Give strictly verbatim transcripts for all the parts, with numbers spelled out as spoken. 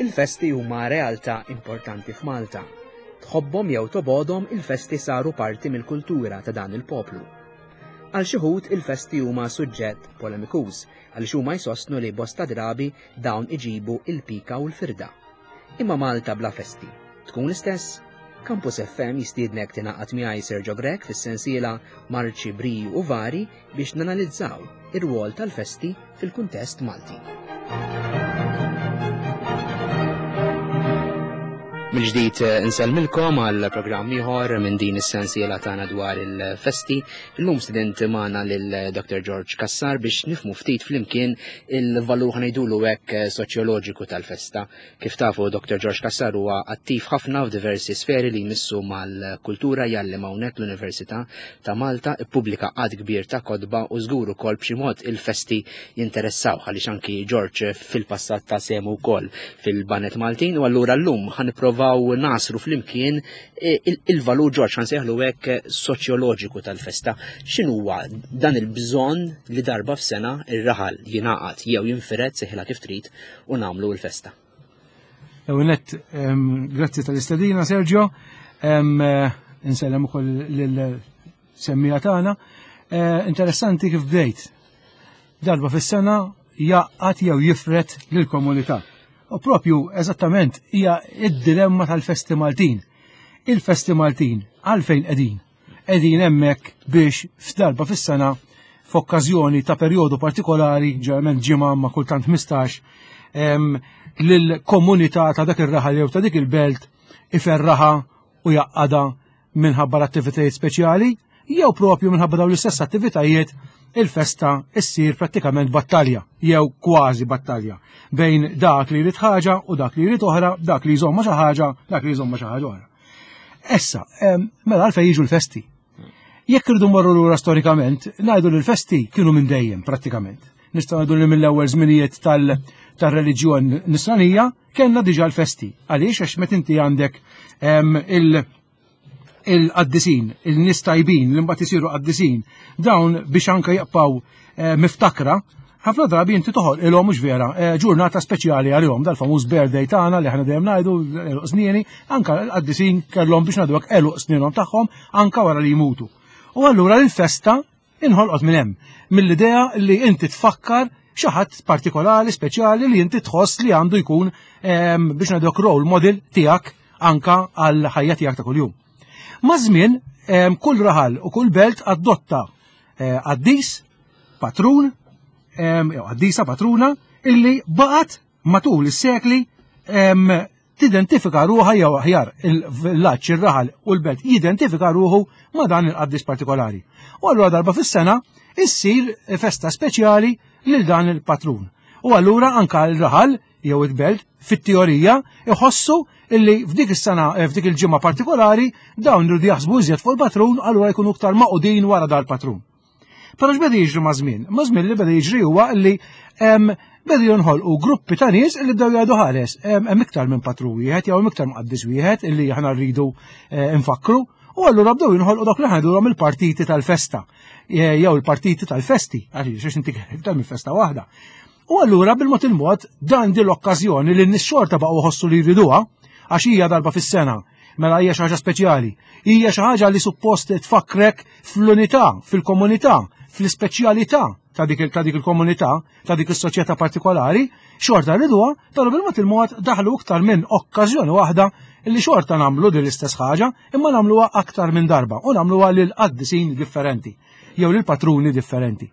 Il-festi huma realtà importanti f'Malta. Tħobbhom jew tobgħodhom, il-festi saru parti mill-kultura ta' dan il-poplu. Għal xi wħud il-festi huma suġġett polemikuż għaliex huma jsostnu li bosta drabi dawn iġibu il-pika u l-firda. Imma Malta bla festi tkun l-istess? Campus F M jistiednek tingħaqad miegħi, Sergio Grech, fis-sensiela Marċi, Briju u Vari biex nanalizzaw ir-rwol tal-festi fil-kuntest Malti. Mill-ġdid eh, insellmilkom għal programm ieħor minn din is-sensiela tagħna dwar il-festi. Illum stedint magħna lil Doctor George Cassar biex nifhmu ftit flimkien il-valur, ħa ngħidulu hekk, eh, soċjoloġiku tal-festa. Kif tafu, Doctor George Cassar huwa attiv ħafna f'diversi sferi li jmissu mal-kultura, jgħallem hawnhekk l-Università ta' Malta, ippubblika għadd kbir ta' kotba u żgur ukoll b'xi mod il-festi jinteressaw għaliex anki George fil-passat ta sehmu wkoll fil-Baned Maltin, u allura llum ħa nipprovaw nagħsru flimkien eh, il-valur, George, ħa nsejħlu hekk, soċjoloġiku tal-festa. X'inhuwa dan il-bżonn li darba f'sena ir-raħal jingħaqad jew jinfired, sejħilha kif trid, u nagħmlu l-festa? Ewnet, grazzi tal-istedina, Sergio. Eh, insellem ukoll lil-semmiegħa tagħna. Eh, interessanti kif bdejt. Darba fis-sena jgħaqqad jew jifred lill-komunità. U propju, eżattament, hija id-dilemma tal-festi Maltin. Il-festi Maltin, għalfejn qegħdin? Qegħdin hemmhekk biex f'darba fis-sena, f'okkażjoni ta' perjodu partikolari, ġeneralment ġimgħa ma' kultant ħmistax, lill-komunità ta' dak ir-raħal jew ta' dik il-belt iferraħa u jgħaqqadha minħabba l-attivitajiet speċjali, jew propju minħabba dawn l-istess attivitajiet il-festa issir prattikament battalja, jew kważi battalja, bejn dak li jrid ħaġa u dak li jrid oħra, dak li jżomma xi ħaġa, dak li jżomma xi ħaġa oħra. Issa, mela għalfejn jiġu l-festi? Jekk irridu morru lura storikament, ngħidu li l-festi kienu minn dejjem prattikament. Nistgħu ngħidu li mill-ewwel żminijiet tal-reliġjon nisranija kellna diġà l-festi. Għaliex? Għax meta inti għandek il- il-qaddisin, il-nies tajbin, li mbagħad isiru qaddisin, dawn biex anke jibqgħu eh, miftakra, ħafna drabi inti toħolqilhom, mhux vera, eh, ġurnata speċjali għalihom, dal-famuż birthday tagħna li aħna dejjem ngħidu għeluq snini, anka l-qaddisin kellhom, biex ngħidu hekk, għeluq sninhom tagħhom anka wara li jmutu. U allura l-festa inħolqot minn hemm, mill-idea li inti tfakkar xi ħadd partikolari, speċjali li inti tħoss li għandu jkun, ehm, biex ngħidu, role model tiegħek anka għal ħajja tiegħek ta' kuljum. Maż-żmien ehm, kull raħal u kull belt adotta eh, qaddis, patrun, ehm, jew qaddisa patruna illi baqgħet matul is-sekli ehm, tidentifika ruħha, jew aħjar il-villaġġ, ir-raħal u l-belt jidentifika ruħu ma' dan il-qaddis partikolari. U allura darba fis-sena issir festa speċjali lil dan il-patrun. U allura anka l-raħal jew il-belt fit-teorija iħossu illi f'dik is-sena, eh, f'dik il-ġimgħa partikolari, dawn iridu jaħsbu iżjed fuq il-patrun, allura jkunu iktar magħqudin wara dal-patrun. Però x'beda jiġri maż-żmien? Maż-żmien li beda jiġri huwa li beda jinħolqu gruppi ta' nies li bdew jgħidu: "Ħares, hemm iktar minn patrun wieħed jew hemm iktar mqaddis wieħed illi aħna rridu eh, nfakru." U allura bdew jinħolqu dak li ngħidulhom il-partiti tal-festa jew il-partiti tal-festi, għaliex inti iktar minn festa waħda. U allura bil-mod il-mod dan din l-okkażjoni li n-nies xorta baqgħu ħossu li jriduha, għax hija darba fis-sena, mela hija xi ħaġa speċjali. Hija xi ħaġa li suppost tfakkrek fl-unità, fil-komunità, fl-ispeċjalità ta' dik ta' dik il-komunità, ta' dik is-soċjetà partikolari, xorta rriduha, però bil-mod il-mod daħlu iktar minn okkażjoni waħda li xorta nagħmlu din l-istess ħaġa, imma nagħmluha aktar minn darba u nagħmluha lil qaddisin differenti jew lil patruni differenti.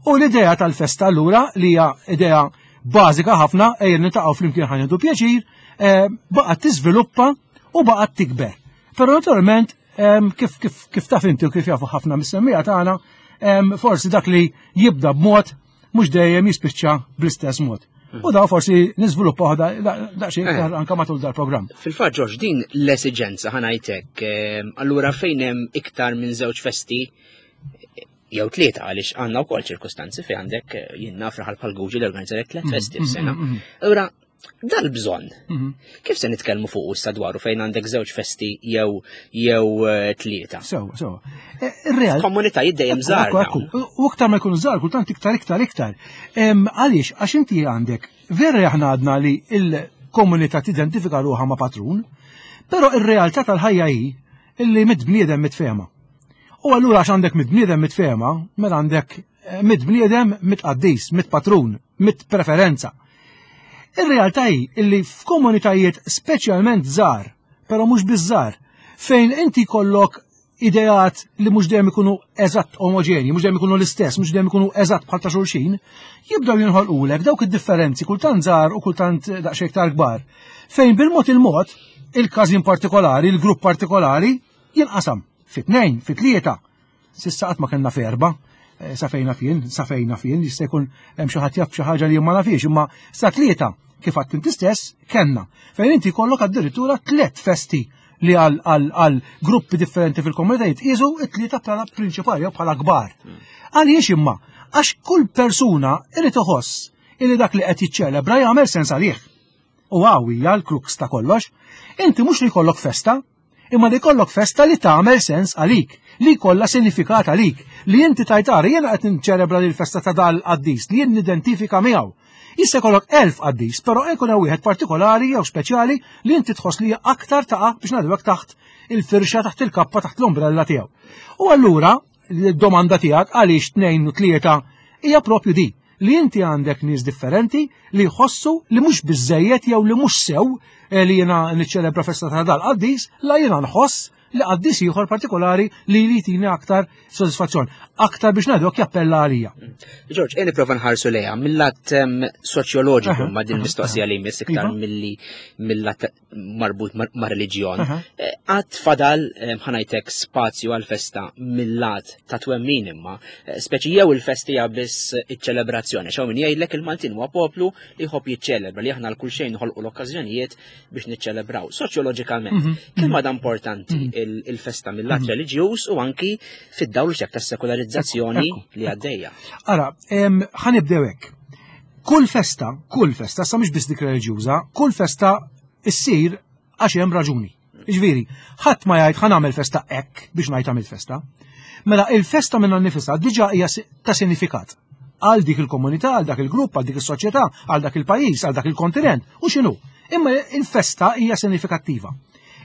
U l-idea tal-festa allura, li hija idea bażika ħafna, ejja niltaqgħu flimkien ħa nieħdu pjaċir, eh, baqgħet tiżviluppa u baqgħet tikber. Però naturalment kif kif kif taf inti u kif jafu ħafna mis-semmiegħa tagħna, forsi dak li jibda b'mod mhux dejjem jispiċċa bl-istess mod. U da forsi niżviluppaw daqsxejn iktar eh. anka matul dal-programm. Fil-fatt, George, din l-esiġenza, ħa ngħidlek, allura fejn hemm iktar minn żewġ festi jew tlieta, għaliex għandna wkoll ċirkustanzi fejn għandek, eh, jien naf raħal bħal Guġi li organizzalek tliet mm, festi mm, f'sena. Mm, allura dal-bżonn, kif se nitkellmu fuq issa dwaru fejn għandek żewġ festi jew jew eh, tlieta? Sew, sew. Eh, ir-real. Komunitajiet dejjem żgħar. U aktar ma jkunu żgħar, kultant iktar, iktar, iktar. Għaliex? Għax inti għandek, vera aħna għadna li il komunità tidentifika ruħha ma' patrun, però ir-realtà tal-ħajja hi illi mitt bniedem mitt fehma. U allura għax għandek mitt bniedem mitt fehma, mela għandek eh, mitt bniedem mitt qaddis, mitt patrun, mitt preferenza. Ir-realtà hi illi f'komunitajiet speċjalment żgħar, però mhux biż-żgħar, fejn inti kollok ideat li mhux dejjem ikunu eżatt omoġeni, mhux dejjem ikunu l-istess, mhux dejjem ikunu eżatt bħal ta' xulxin, jibdew jinħolqulek dawk id-differenzi kultant żgħar u kultant daqsxejn iktar kbar. Fejn bil-mod il-mod, il-każin partikolari, il-grupp partikolari, jinqasam fi tnejn, fi tlieta. S'issa qatt ma kellna f'erba', eh, sa fejna fien, sa fejna fien, jista' jkun hemm xi ħadd jaf xi ħaġa li ma nafix, imma sa tlieta kif għedt inti stess kellna. Fejn inti jkollok addirittura tliet festi li għal, għal, għal gruppi differenti fil-komunitajiet jisu it-tlieta bħala prinċipali jew bħala kbar. Għaliex imma? Għax kull persuna irid iħoss illi dak li qed jiċċelebra jagħmel sens għalih. U hawn hija l-crux ta' kollox. Inti mhux li jkollok festa, imma li jkollok festa li tagħmel sens għalik, li jkollha sinifikat għalik, li inti tajtara jiena qed niċċelebra lil festa ta' dal qaddis li jien nidentifika miegħu. Jista' jkollok elf qaddis, però jkun hemm wieħed partikolari jew speċjali li inti tħoss li aktar taqa' biex ngħidu hekk taħt il-firxa, taħt il-kappa, taħt l-ombrella tiegħu. U allura l-domanda tiegħek għaliex tnejn u tlieta hija propju di li inti għandek nies differenti li jħossu li mhux biżejjed jew li mhux sew eh, li jiena niċċelebra festa ta' dal-qaddis, la jiena nħoss li qaddis ieħor partikolari li li jtini aktar sodisfazzjon, aktar biex ngħidu jappella għalija. George, ejja nipprova nħarsu lejha mill-lat em, soċjoloġiku Aha, ma' din aha, mistoqsija li jmiss iktar Iva. milli mill-lat marbut ma' ma' reliġjon. Aha. Eh, Għad fadal em, ħa ngħidlek spazju għal-festa mill-lat ta' twemmin imma, eh, speċi jew il-festi hija biss iċ-ċelebrazzjoni. Xaw min jgħidlek il-Maltin huwa poplu li jħobb jiċċelebra li aħna l kull xejn noħolqu l-okkażjonijiet biex niċċelebraw. Soċjoloġikament, Mhm, kemm għadha importanti il- il-festa mill-lat reliġjuż u anki fid-dawl xek tas-sekolarizzazzjoni Ekku, li għaddejja. Ara, em, ħa nibdew hekk. Kull festa, kull festa, sa mhux biss dik reliġjuża, kull festa issir għax hemm raġuni. Jiġifieri, ħadd ma jgħid ħa nagħmel festa hekk biex ngħid għamilt festa. Mela il-festa minnha nnifisha diġà hija si- ta' sinifikat għal dik il-komunità, għal dak il-grupp, għal dik is-soċjetà, għal dak il-pajjiż, għal dak il-kontinent, u x'inhu. Imma il-festa hija sinifikattiva.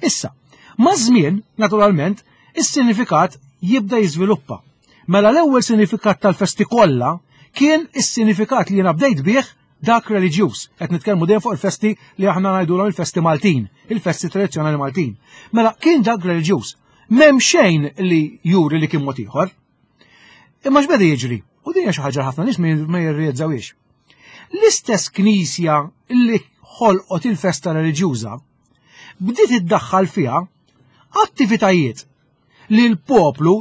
Issa, ma' żmien, naturalment, is-sinifikat jibda jiżviluppa. Mela l-ewwel sinifikat tal-festi kollha kien is-sinifikat li jiena bdejt bih dak reliġjuż. Qed nitkellmu dejjem fuq il-festi li aħna ngħidulhom il-festi Maltin, il-festi tradizzjonali Maltin. Mela kien dak reliġjuż. M'hemm xejn li juri li kien mod ieħor. Imma x'beda jiġri? U din hija xi ħaġa ħafna nies ma jirrealizzawhiex. L-istess knisja li ħolqot il-festa reliġjuża bdiet iddaħħal fiha attivitajiet li l-poplu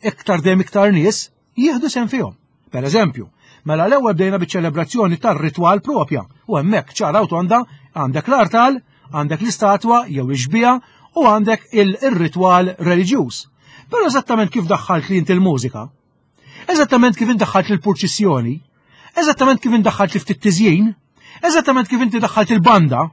iktar dejjem iktar nies jieħdu sehem fihom. Per eżempju, mela l-ewwel bdejna biċ-ċelebrazzjoni tar-ritwal propja u hemmhekk ċara u tonda għandek l-artal, għandek l-istatwa jew ix-xbieha u għandek il-ritwal reliġjuż. Però eżattament kif daħħalt li inti l-mużika, eżattament kif indaħħalt il-purċissjoni, eżattament kif indaħħalt li ftit tiżjin, eżattament kif inti daħħalt il-banda,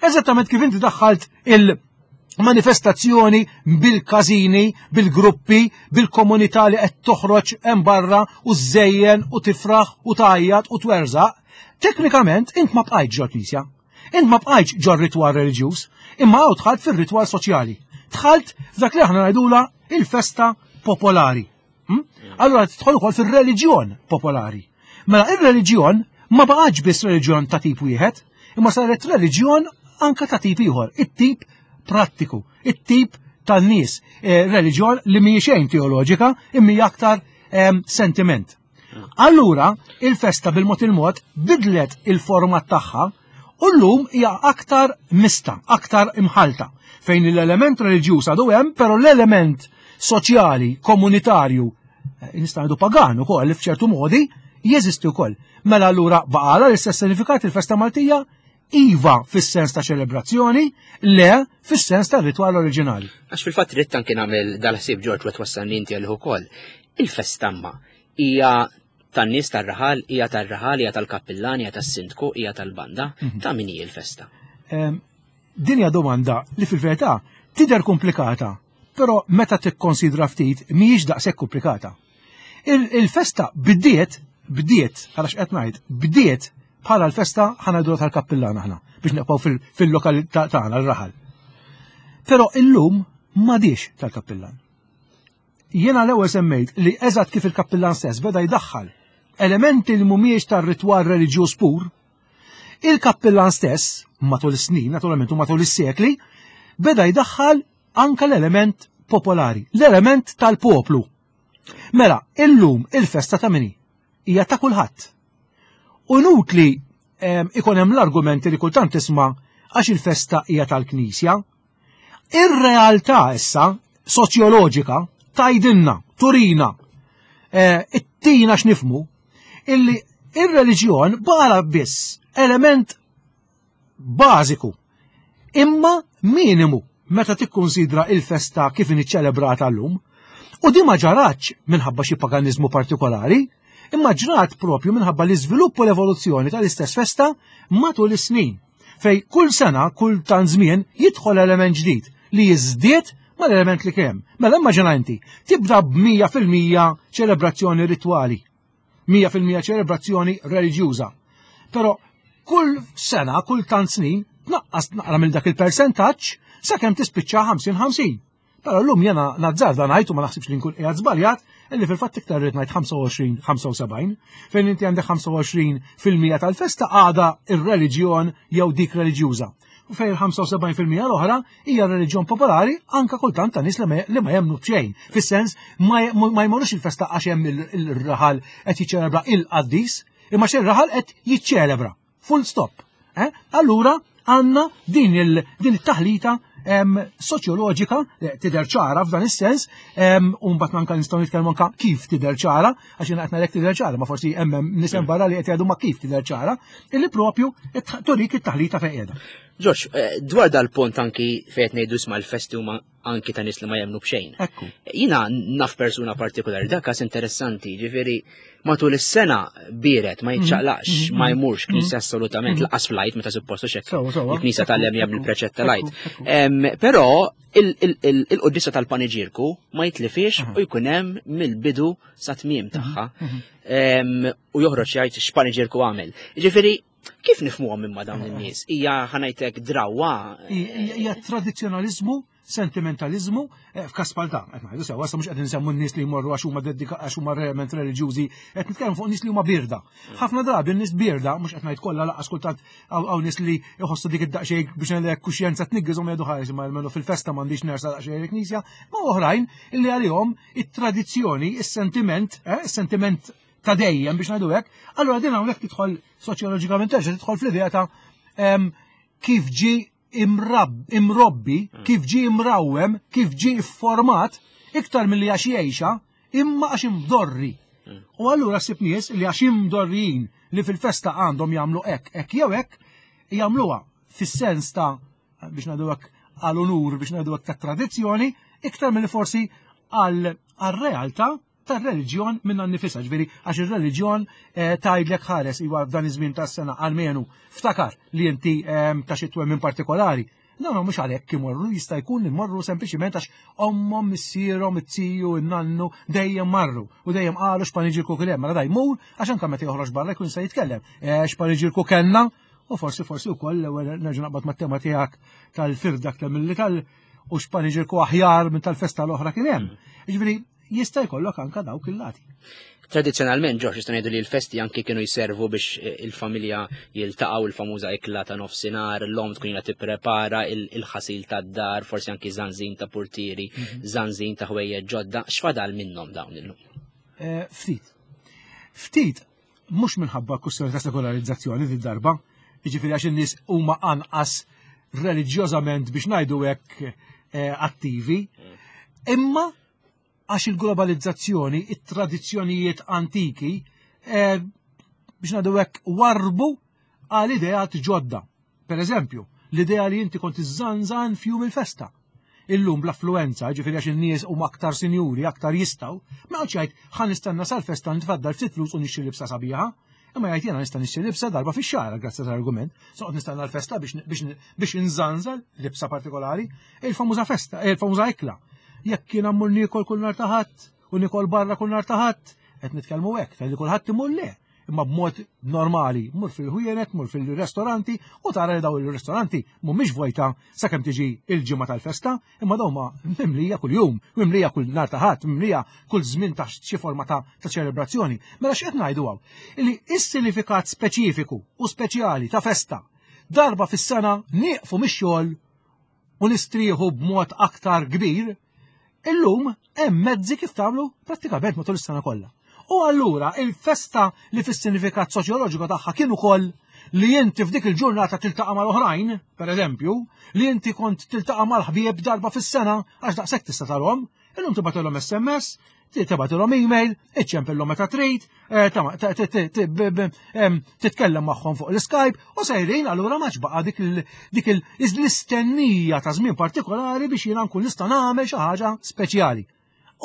eżattament kif inti daħħalt il-manifestazzjoni bil-każini, bil-gruppi, bil-komunità li qed toħroġ hemm barra u żejjen u tifraħ u tgħajjat u twerżaq, teknikament int ma bqajtx ġol knisja. Int ma bqajtx ġol ritwal reliġjuż, imma hawn dħalt fir-ritwal soċjali. Dħalt f'dak li aħna ngħidula il-festa popolari. Hm? Allura tidħol ukoll fir-reliġjon popolari. Mela ir-reliġjon ma baqgħetx biss reliġjon ta' tip wieħed, imma saret reliġjon anka ta' tip ieħor, it-tip prattiku, it-tip tan-nies, eh, reliġjon li mhijiex xejn teoloġika, imma hija aktar em, sentiment. Allura, il-festa bil-mod il-mod bidlet il-format tagħha u llum hija aktar mista, aktar imħalta, fejn l-element reliġjuż għadu hemm, però l-element soċjali, komunitarju, eh, nista' ngħidu pagan ukoll li f'ċertu modi jeżisti wkoll. Mela allura baqala l-istess sinifikat il-festa Maltija iva fis-sens ta' ċelebrazzjoni, le fis-sens ta' ritwal oriġinali. Għax fil-fatt ridt anki nagħmel dal-ħsieb George u twassalni inti għalih ukoll. Il-festa ma hija tan-nies tar-raħal, hija tar-raħal, hija tal-kappillan, hija tas-sindku, hija tal-banda. Ta' min hi l-festa? Em, Din hija domanda li fil-verità tidher komplikata, però meta tikkonsidra ftit mhijiex daqshekk komplikata. Il- Il-festa bdiet, bdiet, għalax qed ngħid, bdiet bħala l-festa ħa ngħidu tal-kappillan aħna, biex nibqgħu fil-lokal tagħna l-raħal. Però illum m'għadix tal-kappillan. Jiena l-ewwel semmejt li eżatt kif il-kappillan stess beda jdaħħal elementi li mhumiex tar-ritwal reliġjuż pur, il-kappillan stess, matul is-snin, naturalment u matul is-sekli, beda jdaħħal anka l-element popolari, l-element tal-poplu. Mela, illum il-festa ta' min hi? Hija ta' kulħadd. U inutli ikun hemm l-argumenti li kultant tisma' għax il-festa hija tal-Knisja. Ir-realtà issa soċjoloġika tgħidilna, turina, ittina x'nifhmu illi ir-reliġjon bara biss element bażiku imma minimu meta tikkonsidra il-festa kif ċelebrata llum. U di ma ġaratx minħabba xi paganiżmu partikolari, imma ġrat propju minħabba l-iżvilupp u l-evoluzzjoni tal-istess festa matul is-snin, fej kull sena, kull tant żmien jidħol element ġdid li jiżdied mal-element li kemm. Mela immaġina inti, tibda b'mija fil-mija ċelebrazzjoni ritwali, mija fil-mija ċelebrazzjoni reliġjuża. Però kull sena, kull tant snin, tnaqqas naqra minn dak il-percentaġġ sakemm tispiċċa ħamsin ħamsin. Però llum jena nazzarda ngħid u ma naħsibx li nkun qiegħed żbaljat, illi fil-fatt iktar rrid ngħid ħamsa u għoxrin, ħamsa u sebgħin, fejn inti għandek ħamsa u għoxrin fil-mija tal-festa għada ir-reliġjon jew dik reliġjuża. U fejn il-ħamsa u sebgħin fil-mija l-oħra hija reliġjon popolari anka kultant ta' nies li ma, li ma jemmnu b'xejn. Fis-sens ma, ma jmorrux il-festa għax hemm il-raħal qed jiċċelebra il-qaddis, imma xi raħal qed jiċċelebra. Full stop. Eh? Allura għandna din il-, din it-taħlita em, soċjoloġika, eh, tidher ċara f'dan is-sens, em, u mbagħad anke nistgħu nitkellmu anke kif tidher ċara, għax jiena qed ngħidlek tidher ċara, ma forsi hemm nies hemm barra li qed jgħidu ma kif tidher ċara, illi propju turik it-taħlita fejn qiegħda. Ġorġ, eh, dwar dal-punt anki fejn qed ngħidu isma' l-festi huma anki ta' nies li ma jemmnu b'xejn. Ekku. Jiena naf persuna partikolari, dak każ interessanti, ġifieri matul is-sena biret ma jiċċaqlaqx, Mhm, mhm, ma jmurx knisja mhm. assolutament, Mhm. laqas fl-Għid meta suppostu xek. Sewa, sewa. Il-knisja tal-lem jagħmel il-preċett tal-Għid. Ekku, ekku. Em, Però il-quddiesa tal-paniġirku ma jitlifix Aha. u jkun hemm mill-bidu sa tmiem tagħha. Mhm. Em, u joħroġ jgħid x'paniġirku għamel. Ġifieri, kif nifhmuhom imma dawn in-nies? Hija ħanajtek drawwa? Hija tradizzjonaliżmu, sentimentalizmu, eh, f'każ bħal dan, qed ngħidu sewa, issa mhux qed insemmu n-nies li jmorru għax huma dedika għax huma realment reliġjużi, qed nitkellmu fuq nies li huma birda. Ħafna drabi n-nies birda, mhux qed ngħid kollha laqas kultant hawn nies li jħossu dik id-daqsxejn biex ngħidlek kuxjenza tniggizhom jgħidu ħares imma almenu fil-festa m'għandix nersa daqsxejn il-knisja, ma oħrajn illi għalihom it-tradizzjoni, is-sentiment, eh, is-sentiment ta' dejjem biex ngħidu hekk, allura din hawnhekk tidħol soċjoloġikament terġa' tidħol fl-idea ta' em, kif ġi imrab, imrobbi, kif ġi imrawem, kif ġi format, iktar milli għax jgħixha, imma għax imdorri. U allura ssib nies li għax imdorrijin li fil-festa għandhom jagħmlu hekk, hekk jew hekk, jagħmluha fis-sens ta' biex ngħidu hekk għal-unur, biex ngħidu hekk ta' tradizzjoni, iktar milli forsi għal-realtà tar-reliġjon minna nnifisha, ġifieri għax ir-reliġjon, eh, tgħidlek ħares iwa f'dan iż-żmien tas-sena almenu ftakar li inti, ehm, ta' xi twemmin partikolari. No, no, mhux għalhekk imorru, jista' jkun li morru sempliċiment għax ommhom, missierhom, it-tiju, in-nannu dejjem marru u dejjem qalu x'paniġirku kien hemm. Mela da jmur għax anke meta joħroġ barra jkun se jitkellem. Eh, x'paniġirku kellna u forsi forsi wkoll l-ewwel nerġa' naqbad mat-tema tiegħek tal-firda aktar milli tal u x'paniġirku aħjar minn tal-festa l-oħra kien hemm. Jiġifieri jista' jkollok anka dawk il-lati. Tradizzjonalment, Ġorġ, nistgħu ngħidu li l-festi anki kienu jservu biex, eh, il-familja jiltaqgħu, il-famuża ikla ta' nofsinhar, l-om tkun ilha tipprepara il-ħasil tad-dar, forsi anki żanżin ta' portieri, Mhm. żanżin ta' ħwejjeġ ġodda. X'fadal minnhom dawn illum? Eh, ftit. Ftit, mhux minħabba kwistjoni ta' sekolarizzazzjoni din darba, jiġifieri għax in-nies huma anqas reliġjożament biex ngħidu hekk, eh, attivi, imma għax il-globalizzazzjoni, it-tradizzjonijiet antiki, eh, biex ngħidu hekk warbu għal ideat ġodda. Per eżempju, l-idea li inti kont iżżanżan f'jum il-festa. Illum bl-affluenza, ġifieri għax in-nies huma aktar sinjuri, aktar jistgħu, ma għadx jgħid ħa nistenna sal-festa nitfaddal ftit flus u nixtri libsa sabiħa, imma jgħid jiena nista' nixtri libsa darba fix-xahar grazzi tal-argument. Soqgħod nistenna l-festa biex, biex, biex inżanżal libsa partikolari, il-famuża festa, il-famuża ikla. Jekk kien ammur niekol kull nhar ta' Ħadd u niekol barra kull nhar ta' Ħadd, qed nitkellmu hekk, tal-li kulħadd imur le. imma b'mod normali, mur fil-ħwienet, mur fil-ristoranti u tara li daw il-ristoranti mhumiex vojta sakemm tiġi il-ġimgħa tal-festa, imma dawn ma mimlija kuljum, mimlija kull nhar ta' Ħadd, mimlija kull żmien ta' xi forma ta' ċelebrazzjoni. Mela x'qed ngħidu hawn? Illi is-sinifikat speċifiku u speċjali ta' festa darba fis-sena nieqfu mix-xogħol u nistrieħu b'mod aktar kbir, illum hemm mezzi kif tagħmlu prattikament matul is-sena kollha. U allura il-festa li fis-sinifikat soċjoloġiku tagħha kien ukoll li inti f'dik il-ġurnata tiltaqa' mal-oħrajn, per eżempju, li inti kont tiltaqa' mal-ħbieb darba fis-sena għax daqshekk tista' tarhom, illum tibgħatilhom S M S, tibgħatilhom email, iċċempillhom meta trid, eh, titkellem magħhom fuq l-Skype u sejrin. Allura ma baqa' dik l-istennija ta' żmien partikolari biex jiena nkun nista' nagħmel xi ħaġa speċjali.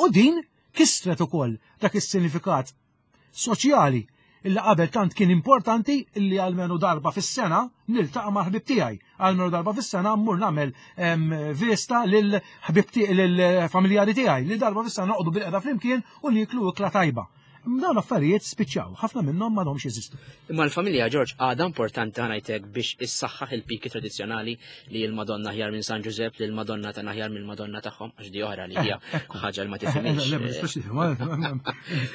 U din kisret ukoll dak is-sinifikat soċjali illi qabel tant kien importanti, illi għalmenu darba fis-sena niltaqa' ma' ħbib tiegħi. Għalmenu darba fis-sena mmur nagħmel vista lil ħbib lill-familjari tiegħi, li darba fis-sena noqogħdu bilqiegħda flimkien u nieklu ikla tajba. Dawn affarijiet spiċċaw, ħafna minnhom m'għadhomx jeżistu. Imma l-familja, George, għadha importanti, ħa ngħidlek, biex issaħħaħ il-piki tradizzjonali li l-Madonna aħjar minn San Ġużepp, li l-Madonna ta' aħjar mill Madonna tagħhom, għax di oħra li hija eh, ħaġa li ma tifhimx.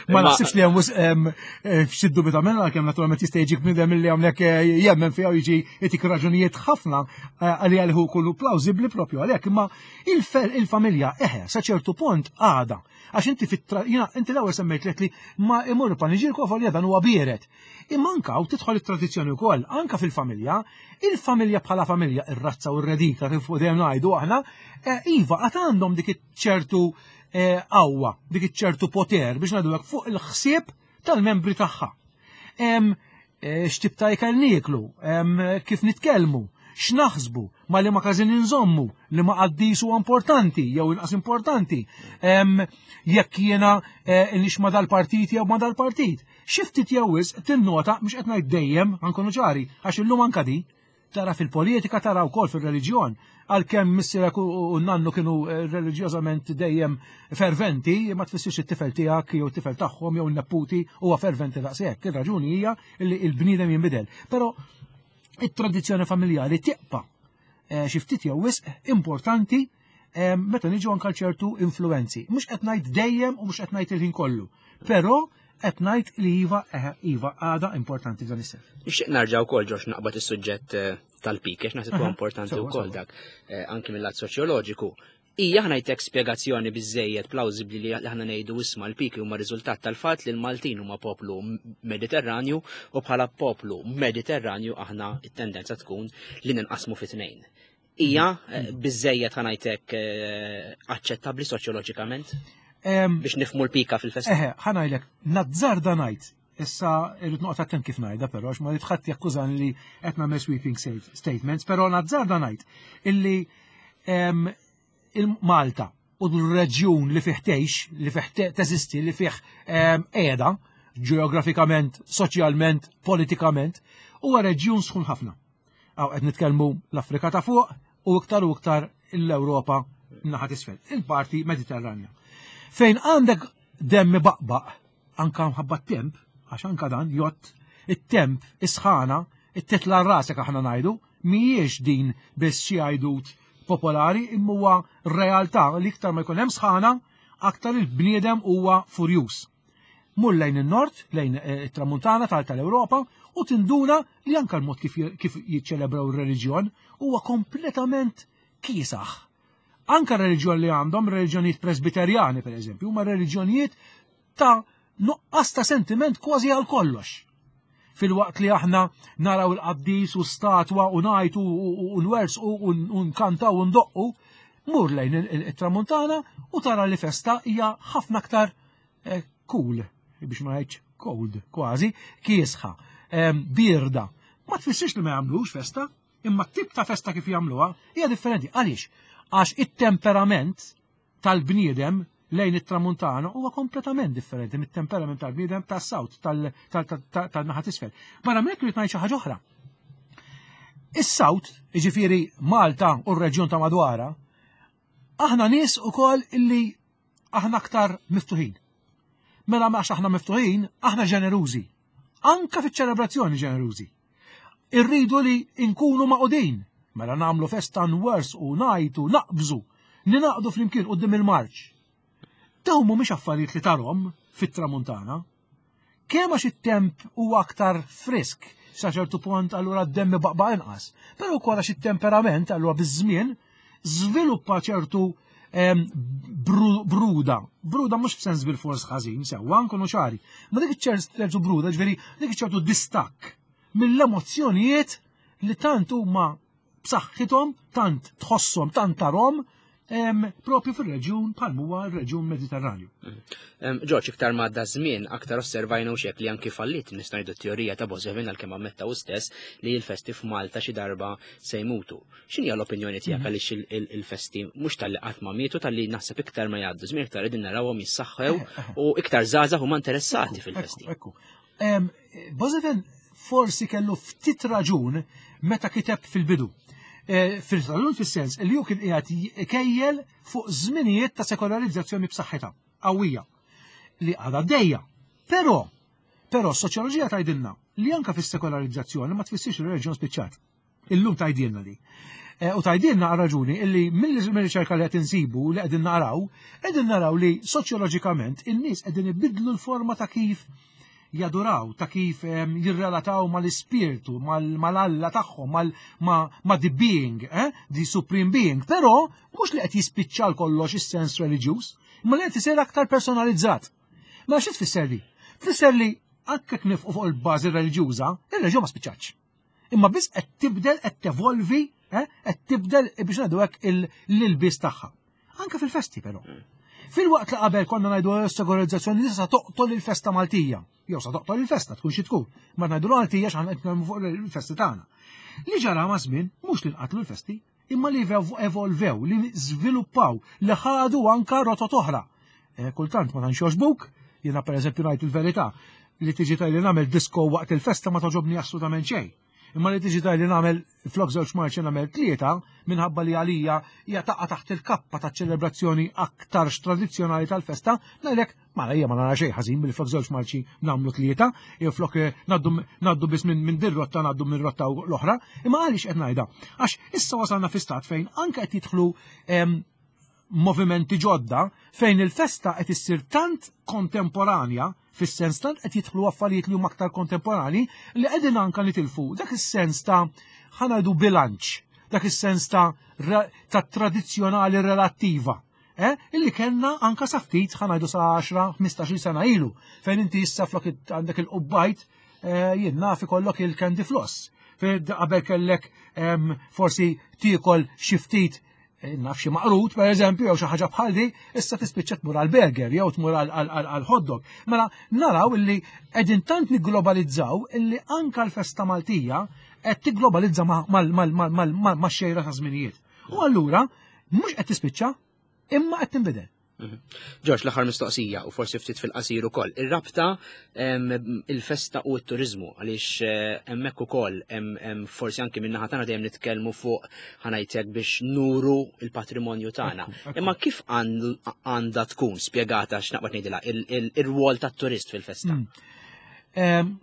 Ma naħsibx li hemm eh, f'xi dubju ta' minna, għalkemm naturalment jista' jiġik bniedem li hawnhekk eh, jemmen fiha u jiġi jtik raġunijiet ħafna għalli għalih kollu plawsibbli propju għalhekk, imma il-familja eħe sa ċertu punt għada. Għax inti fit inti l-ewwel semmejt li ma imur paniġirku għafolja dan huwa bieret. Imma anka u tidħol it-tradizzjoni wkoll, anka fil-familja, il-familja bħala familja, ir-razza u r-redika kif dejjem ngħidu aħna, eh, iva għad għandhom dik ċertu eh, qawwa, dik ċertu poter biex ngħidu fuq il-ħsieb tal-membri tagħha. Eh, x'tip ta' ikel nieklu, kif nitkellmu, x'naħsbu, ma li ma każin inżommu, li ma qaddis huwa importanti jew inqas importanti, jekk jiena eh, nix ma dal-partit jew ma dal-partit. Xi ftit jew wisq tinnota, mhux qed ngħid dejjem, nkunu ċari, għax illum anka di, tara fil-politika, tara wkoll fil-reliġjon. Għalkemm missierek u nannu kienu eh, reliġjożament dejjem ferventi, ma tfissirx it-tifel tiegħek jew it-tifel tagħhom jew n-neputi huwa ferventi daqshekk. Ir-raġuni hija li l-bniedem jinbidel. Però it-tradizzjoni familjari tibqa' eh, xi ftit jew wisq importanti eh, meta niġu anka ċertu influenzi. Mhux qed ngħid dejjem u mhux qed ngħid il-ħin kollu, però qed ngħid li iva eh, iva għada importanti f'dan is-sens. Nixtieq narġa' wkoll, Ġorġ, naqbad is-suġġett tal-pik, għax naħseb huwa importanti wkoll dak anki mill-lat soċjoloġiku. Hija, ħa ngħidlek, spjegazzjoni biżejjed plawżibbli li aħna ngħidu, isma', l-piki huma riżultat tal-fatt li l-Maltin huma poplu Mediterranju u bħala poplu Mediterranju aħna it-tendenza tkun li ninqasmu fi tnejn? Hija eh, biżejjed, ħa ngħidlek, eh, aċċettabbli soċjoloġikament biex nifhmu l-pika fil-festa? Eħe, ħa ngħidlek, nazzarda ngħid. Issa irrid noqgħod attent kif ngħidha però għax ma rrid ħadd jakkużani li qed nagħmel sweeping statements, però nazzarda ngħid illi il-Malta u l-reġjun li fih tgħix, li fih teżisti, li fih qiegħda ġeografikament, soċjalment, politikament, huwa reġjun sħun ħafna. Għaw qed nitkellmu l-Afrika ta' fuq u iktar u iktar l-Ewropa naħa t'isfel, il-parti Mediterranja. Fejn għandek demmi baqbaq, anka mħabba temp, għax anka dan jott, it-temp, is-sħana, it-titla rasek aħna ngħidu, mhijiex din biss xi għajdut popolari, imma huwa realtà li iktar ma jkun hemm sħana, aktar il-bniedem huwa furjus. Mur lejn il-nord, lejn eh, it-tramuntana tal-Ewropa, u tinduna li anka l-mod kif kif jiċċelebraw ir-reliġjon huwa kompletament kiesaħ. Anka r-reliġjon li għandhom, reliġjonijiet presbiterjani per eżempju, huma reliġjonijiet ta' nuqqas ta' sentiment kważi għal kollox. Filwaqt li aħna naraw il-qaddis u statwa u ngħajtu u nwerżqu u nkantaw u ndoqqu, mur lejn il-tramuntana u tara li festa hija ħafna aktar eh, cool, biex ma ngħidx cold, kważi, kiesħa, birda. Ma tfissirx li ma jagħmlux festa, imma t-tip ta' festa kif jagħmluha hija differenti. Għaliex? Għax it-temperament tal-bniedem lejn it-tramuntana huwa kompletament differenti mit-temperament tal-bniedem tas-south, tal-naħa t'isfel. Barra minn hekk irid ngħid xi ħaġa oħra. Is-south, jiġifieri Malta u r-reġjun ta' madwara, aħna nies ukoll illi aħna aktar miftuħin. Mela għax aħna miftuħin, aħna ġenerużi. Anka fiċ-ċelebrazzjoni ġenerużi. Irridu li nkunu magħqudin, mela nagħmlu festa nwerżqu, ngħajtu, naqbżu, ninaqdu flimkien quddiem il-marċ. Dawn mhumiex affarijiet li tarahom fit-tramuntana. Kemm għax it-temp huwa aktar frisk sa ċertu punt, allura d-demm baqba inqas. Però wkoll għax it-temperament allura biż-żmien żviluppa ċertu bruda. Bruda mhux f'sens bil-fors ħażin, sewwa, nkunu ċari. Ma dik ċertu bruda, ġifieri dik ċertu distakk mill-emozzjonijiet li tant huma b'saħħithom, tant tħosshom, tant tarahom propju fil-reġjun bħal huwa r-reġjun Mediterranju. Ġorġ, iktar ma għadda żmien, aktar osservajna u xek li anki fallit nistgħu ngħidu teorija ta' Boissevain, għalkemm ammetta hu stess li l-festi f'Malta xi darba se jmutu. X'inhi l-opinjoni tiegħek, mhm. għaliex il-festi mhux talli qatt ma mietu, talli naħseb iktar ma jgħaddu żmien iktar qegħdin narawhom jissaħħew eh, eh. u iktar żgħażagħ huma interessati fil-festi? Ekku. Boissevain forsi kellu ftit raġun meta kiteb fil-bidu. Eh, fil-raġun fis-sens li hu kien qiegħed ikejjel fuq żminijiet ta' sekolarizzazzjoni b'saħħitha qawwija li għadha dejja. Però, però s-soċjoloġija tgħidilna li anka fis-sekolarizzazzjoni ma tfissirx ir-reliġjon spiċċat. Illum tgħidilna li. Eh, u tgħidilna għal raġuni illi mill-riċerka li qed insibu, li qegħdin naraw, qegħdin naraw li soċjoloġikament in-nies qegħdin ibidlu l-forma ta' kif jaduraw, ta' kif jirrelataw mal-ispirtu, mal-alla tagħhom, ma' the being, eh? The supreme being, però mhux li qed jispiċċa kollox is-sens reliġjuż, imma li qed isir aktar personalizzat. Ma xi tfisser li? Tfisser li anke nifqu fuq il-bażi reliġjuża, ir-reliġjon ma spiċċatx. Imma biss qed tibdel, qed tevolvi, eh? Qed tibdel, biex ngħidu hekk, l-ilbies tagħha. Anke fil-festi però. Fil-waqt li qabel konna ngħidu s-sekolarizzazzjoni sa toqtol il-festa Maltija. Jew sa toqtol il-festa, tkun xi tkun. Ma ngħidu Maltija x'aħna qed nitkellmu fuq il-festi tagħna. Li ġara ma' żmien mhux li nqatlu l-festi, imma li evolvew, li żviluppaw, li ħadu anka rotot oħra. Eh, kultant ma tantx jogħġbuk, jiena pereżempju ngħid il-verità, li tiġi tgħidli nagħmel disco waqt il-festa ma togħġobni assolutament xejn. Imma li tiġi tgħidli nagħmel flok żewġ marċi nagħmel tlieta, minħabba li għalija hija taqa' taħt il-kappa ta' ċelebrazzjoni aktarx tradizzjonali tal-festa, ngħidlek mela hija ma nara xejn ħażin billi flok żewġ marċi nagħmlu tlieta, jew flok eh, ngħaddu biss minn din rotta ngħaddu minn rotta l-oħra. Imma għaliex qed ngħidha? Għax issa wasalna fi stat fejn anke qed jidħlu movimenti ġodda fejn il-festa qed issir tant kontemporanja, fis-sens tant qed jidħlu affarijiet li huma aktar kontemporani li qegħdin anka nitilfu dak is-sens ta', ħa ngħidu, bilanċ, dak is-sens ta' ta' tradizzjonali relattiva. Eh? Illi kellna anka sa ftit, ħa ngħidu sa għaxra ħmistax-il sena ilu, fejn inti issa flok għandek il-qubbajt, eh, jien naf ikollok il-candy floss. Fejn qabel kellek forsi tiekol xi ftit, eh, naf, xi maqrut, per eżempju, jew xi ħaġa bħal di, issa tispiċċa tmur għal burger jew tmur għal hot dog. Mela naraw illi qegħdin tant nigglobalizzaw illi anka l-festa Maltija qed tigglobalizza max-xejra ta' żminijiet. U allura mhux qed tispiċċa, imma qed tinbidel. Mhm. Ġorġ, l-aħħar mistoqsija u forsi ftit fil-qasir ukoll. Ir-rabta il-festa u t-turizmu, għaliex eh, hemmhekk ukoll forsi anki min-naħa tagħna dejjem nitkellmu fuq, ħa ngħidlek, biex nuru il-patrimonju tagħna. Imma kif għandha tkun spjegata, x'naqbad ngħidilha, ir-rwol tat-turist fil-festa? Mm.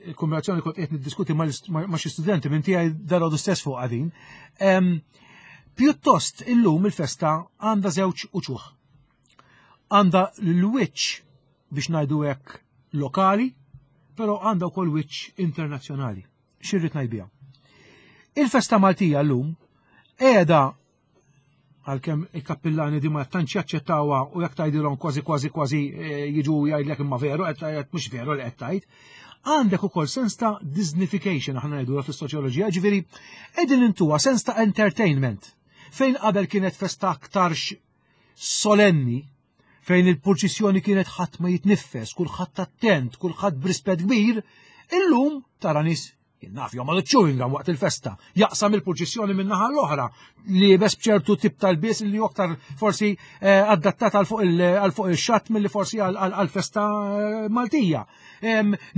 Il-kombinazzjoni kont qed niddiskuti ma' xi studenti minn tiegħi dalgħodu stess fuq għadin. Pjuttost illum il-festa għandha żewġ uċuħ. Għandha l-wiċċ, biex ngħidu hekk, lokali, però għandha wkoll wiċċ internazzjonali. X'irrid ngħid biha? Il-festa Maltija llum qiegħda, għalkemm il-kappillani di ma tantx jaċċettawha u jekk tgħidilhom kważi kważi kważi eh, jiġu jgħidlek imma veru qed tgħid, mhux veru li qed tgħid. Għandek ukoll sens ta' Disneyfication, aħna ngħidu fis-soċjoloġija, ġifieri qegħdin intuha sens ta' entertainment. Fejn qabel kienet festa aktarx solenni, fejn il-purċissjoni kienet ħadd ma jitniffes, kulħadd attent, kulħadd b'rispett kbir, illum tara nies, naf, jomgħod chewing gum waqt il-festa, jaqsam il-purċissjoni minn naħa l-oħra, liebes b'ċertu tip tal-bies li aktar forsi eh, adattat għal fuq il-xatt milli forsi għal festa eh, Maltija.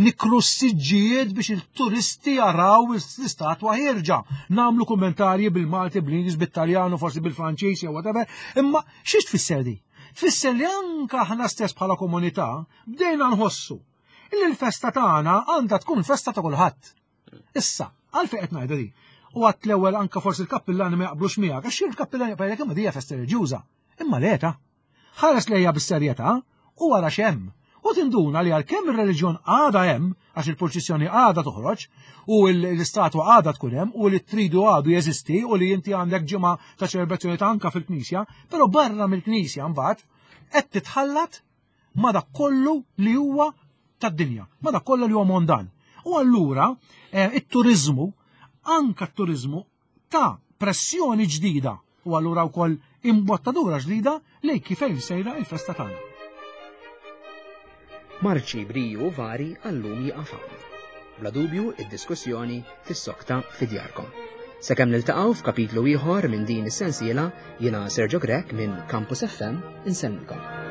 Nikru s-siġġijiet biex il-turisti jaraw l-istatwa ħierġa. Nagħmlu kommentarji bil-Malti, bl-Ingliż, bit-Taljanu, forsi bil-Franċiż jew whatever. Imma xiex tfisser di? Tfisser li anka aħna stess bħala komunità bdejna nħossu Illi l-festa tagħna għandha tkun festa ta' kulħadd. Issa, għalfejn qed ngħidha di. U għat l-ewwel anka forsi l-kappillani ma jaqblux miegħek, għax il-kappillani jgħidlek imma dija festa reliġjuża. Imma leta. Ħares lejha bis-serjetà u wara x'hemm. U tinduna li għalkemm ir-reliġjon għadha hemm, għax il-purċissjoni għadha toħroġ, u l-istatwa għadha tkun hemm, u li tridu għadu jeżisti, u li inti għandek ġimgħa ta' ċelebrazzjoni ta' anka fil-knisja, però barra mill-knisja mbagħad qed titħallat ma' dak kollu li huwa tad-dinja, ma' dak kollu li huwa mondan. U allura eh, it-turizmu, anka t-turizmu ta' pressjoni ġdida u allura wkoll imbottadura ġdida lejn kif sejra il-festa tagħna. Marċi briju vari għallum jieqaf hawn. Bla dubju id-diskussjoni tissokta fi djarkom. Sakemm niltaqgħu f'kapitlu ieħor minn din is-sensiela, jiena Sergio Grech minn Campus F M insellmilkom.